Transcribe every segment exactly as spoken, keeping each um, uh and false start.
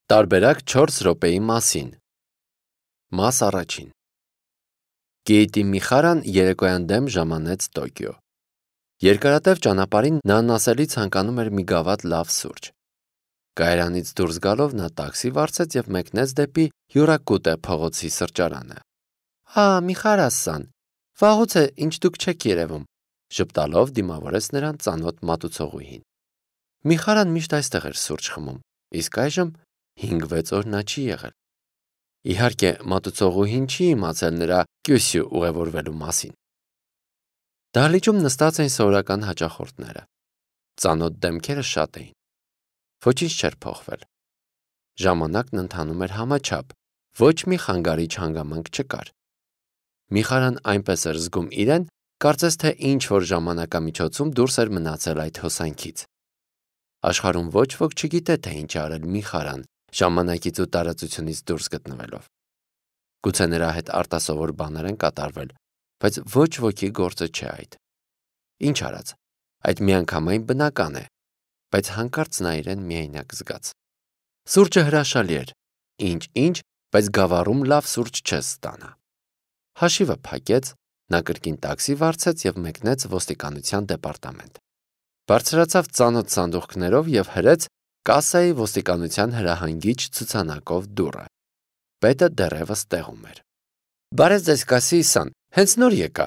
Տարբերակ չորս րոպեի մասին։ Մաս առաջին։ Կեիտի Միխարան երեկոյան դեմ ժամանեց Տոկիո։ Երկարատև ճանապարհին նա անասելի ցանկանում էր մի գավաթ լավ սուրճ։ Կայարանից դուրս գալով նա տաքսի վարձեց և մեկնեց դեպի Հյուրակուտե փողոցի սրճարանը։ «Ա, Միխարասան, վաղուց է ինչ դուք չեք երևում», ժպտալով դիմավորեց նրան ծանոթ մատուցողուհին։ Միխարան միշտ այստեղ էր սուրճ խմում, իսկ այժմ հինգ-վեց օր նա չի եղել։ Իհարկե, մատուցողուհին չի իմացել նրա Կյոսյու ուղևորվելու մասին։ Դահլիճում նստած էին սովորական հաճախորդները։ Ծանոթ դեմքերը շատ էին։ Ոչինչ չէր փոխվել։ Ժամանակն ընթանում էր համաչափ, ոչ մի խանգարիչ հանգամանք չկար։ Միխարան այնպես էր զգում իրեն, կարծես թե ինչ-որ ժամանակամիջոցում դուրս էր մնացել այդ հոսանքից։ Աշխարհում ոչ ոք չգիտե, թե ինչ արել Միխարան ժամանակից ու տարածությունից դուրս գտնվելով։ Գուցե նրա հետ արտասովոր բաներ են կատարվել, բայց ոչ ոքի գործը չէ այդ։ Ինչ արած, այդ միանգամայն բնական է, բայց հանկարծ նա իրեն միայնակ զգաց։ Սուրճը հրաշալի էր, ինչ-ինչ, բայց գավառում լավ սուրճ չես ստանա։ Հաշիվը փակեց, նա կրկին տաքսի վարձեց և մեկնեց ոստիկանության դեպարտամենտ։ Բարձրացավ ծանոթ սանդուղքներով և հրեց կասայի ոստիկանության հրահանգիչ ցուցանակով դուռը։ Պետը դեռևս տեղում էր։ «Բարև ձեզ, Կասիի-սան, հենց նոր եկա»։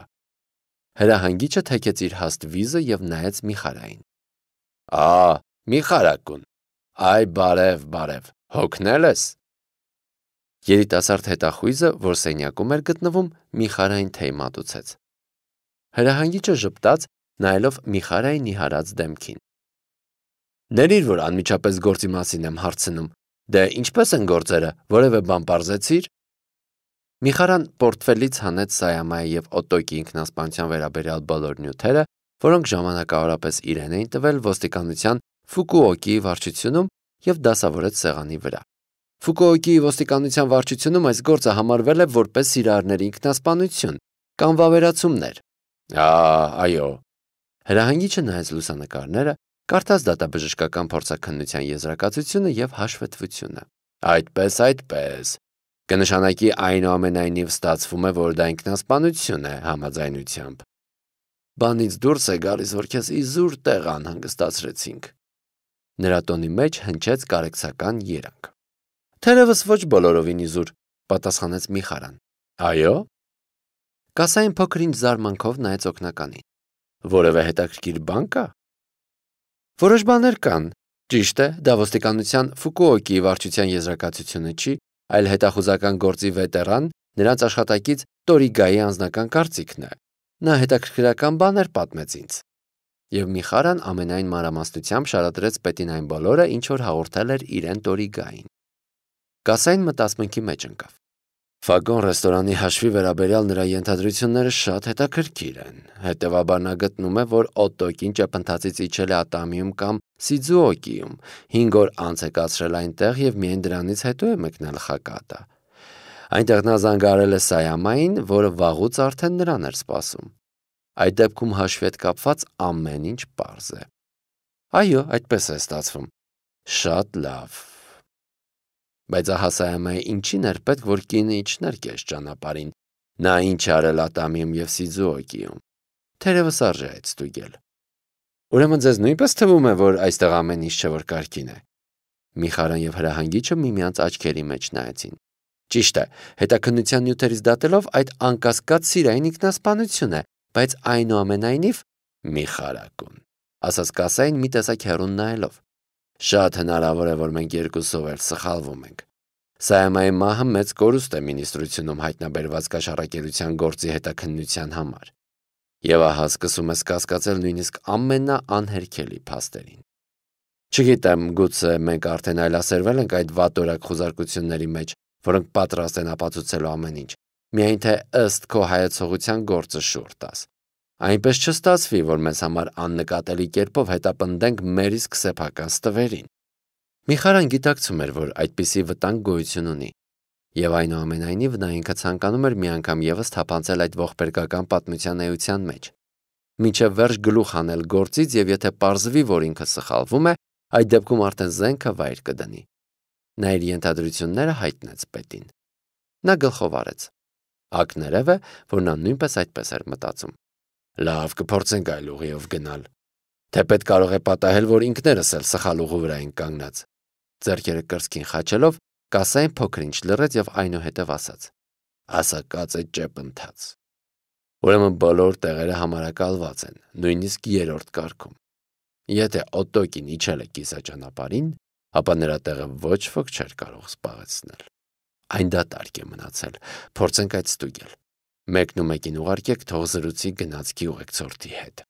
Հրահանգիչը թեքեց իր հաստ վիզը և նայեց Միխարային։ «Ա, Միխարակուն, այ բարև, բարև, հոգնել ես»։ Երիտասարդ հետախույզը, որ սենյակում էր գտնվում, Միխարային թեյ մատուցեց։ Հրահանգիչը ժպտաց, նայելով Միխարայի նիհարած դեմքին։ «Ներիր, որ անմիջապես գործի մասին եմ հարցնում, դե ինչպե՞ս են գործերը, որևէ բան պարզեցի՞ր»։ Միխարան պորտֆելից հանեց Սայամայի և Օտոկի ինքնասպանության վերաբերյալ բոլոր նյութերը, որոնք ժամանակավորապես իրեն էին տվել ոստիկանության Ֆուկուոկիի վարչությունում և դասավորեց սեղանի վրա։ Ֆուկուոկիի ոստիկանության վարչությունում այս գործը համարվել է որպես սիրահարների ինքնասպանություն կամ վավերացումներ։ Ա, այո։ Հրահանգիչը նայեց լուսանկարները, կարդաց դատաբժշկական փորձաքննության եզրակացությունը և հաշվետվությունը։ Այդպես, այդպես։ Կնշանակի այնուամենայնիվ ստացվում է, որ դա ինքնասպանություն է համաձայնությամբ։ Բանից դուրս է գալիս, որ քեզ իզուր տեղ անհանգստացրեցինք։ Նրա տոնի մեջ հնչեց կարեկցական երանգ։ Թերևս ոչ բոլորովին իզուր, պատասխանեց Միխարան։ Այո։ Կասային փոքր-ինչ զարմանքով նայեց օգնականին։ Որևէ հետաքրքիր բան կա։ Որոշ բաներ կան։ Ճիշտ է, դա ոստիկանության Ֆուկուոկիի վարչության եզրակացությունը չի, այլ հետախուզական գործի վետերան, նրանց աշխատակից Տորիգայի անձնական կարծիքն է։ Նա հետաքրքրական բաներ պատմեց ինձ։ Եվ Միխարան ամենայն մանրամասնությամբ շարադրեց պետին այն բոլորը, ինչ որ հաղորդել էր իրեն Տորիգային։ Կասային մտածմունքի մեջ ընկավ։ Ֆագոն ռեստորանի հաշվի վերաբերյալ նրա ենթադրությունները շատ հետաքրքիր են։ Հետևաբար նա գտնում է, որ Օտոկին ճեպընթացից իջել է Ատամիում կամ Սիձուոկիում, հինգ օր անց է կացրել այնտեղ և միայն դրանից հետո է մեկնել Խակատա։ Այնտեղ նա զանգահարել է Սայամային, որը վաղուց արդեն նրան էր սպասում։ Այդ դեպքում հաշվի հետ կապված ամեն ինչ պարզ է։ Այո, այդպես է ստացվում։ Շատ լավ։ Բայց ահա Սայամայի ինչին էր պետք, որ կինը իջներ կես ճանապարհին։ Նա ինչ արել Ատամիում և Սիձուոկիում։ Թերևս արժե այդ ստուգել։ Ուրեմն ձեզ նույնպես թվում է, որ այստեղ ամեն ինչ չէ, որ կարգին է։ Միխարան և հրահանգիչը միմյանց աչքերի մեջ նայեցին։ Ճիշտ է, հետաքննության նյութերից դատելով այդ անկասկած սիրային ինքնասպանություն է, բայց այնուամենայնիվ Միխարակուն, ասաց Կասային մի տեսակ հեռուն նայելով։ Շատ հնարավոր է, որ մենք երկուսով էլ սխալվում ենք։ Սայամայի մահը մեծ կորուստ է մինիստրությունում հայտնաբերված կաշառակերության գործի հետաքննության համար։ Եվ ահա սկսում ես կասկածել նույնիսկ ամենաանհերքելի փաստերին։ Չգիտեմ, գուցե մենք արդեն այլասերվել ենք այդ վատորակ խուզարկությունների մեջ, որոնք պատրաստ են ապացուցելու ամեն ինչ, միայն թե ըստ քո հայեցողության գործը շուռ տաս։ Այնպես չստացվի, որ մեզ համար աննկատելի կերպով հետապնդենք մեր իսկ սեփական ստվերին։ Միխարան գիտակցում էր, որ այդպիսի վտանգ գոյություն ունի, եւ այնուամենայնիվ նա ինքը ցանկանում էր մի անգամ ևս թափանցել այդ ողբերգական պատմության էության մեջ։ Մինչև վերջ գլուխ հանել գործից, եւ եթե պարզվի, որ ինքը սխալվում է, այդ դեպքում արդեն զենքը վայր կդնի։ Նա իր ենթադրությունները հայտնեց պետին։ Նա գլխով արեց։ Ակներև է, որ նա նույնպես այդպես էր մտածում։ Լավ, կփորձենք այլ ուղիով գնալ։ Թեպետ կարող է պատահել, որ ինքներս էլ սխալ ուղու վրա ենք կանգնած։ Ձեռքերը կրծքին խաչելով, կասային փոքր-ինչ լռեց եւ այնուհետեւ ասաց. Ասակած է ճեպ ընթաց։ Ուրեմն բոլոր տեղերը համարակալված են, նույնիսկ երրորդ կարգում։ Եթե Օտոկին իջել է կիսաճանապարհին, ապա նրա տեղը ոչ ոք չէր կարող զբաղեցնել։ Այն դատարկ է մնացել, փորձենք այդ ստուգել։ Մեկն ու մեկին ուղարկեք թող զրուցի գնացքի ուղեկցորդի հետ։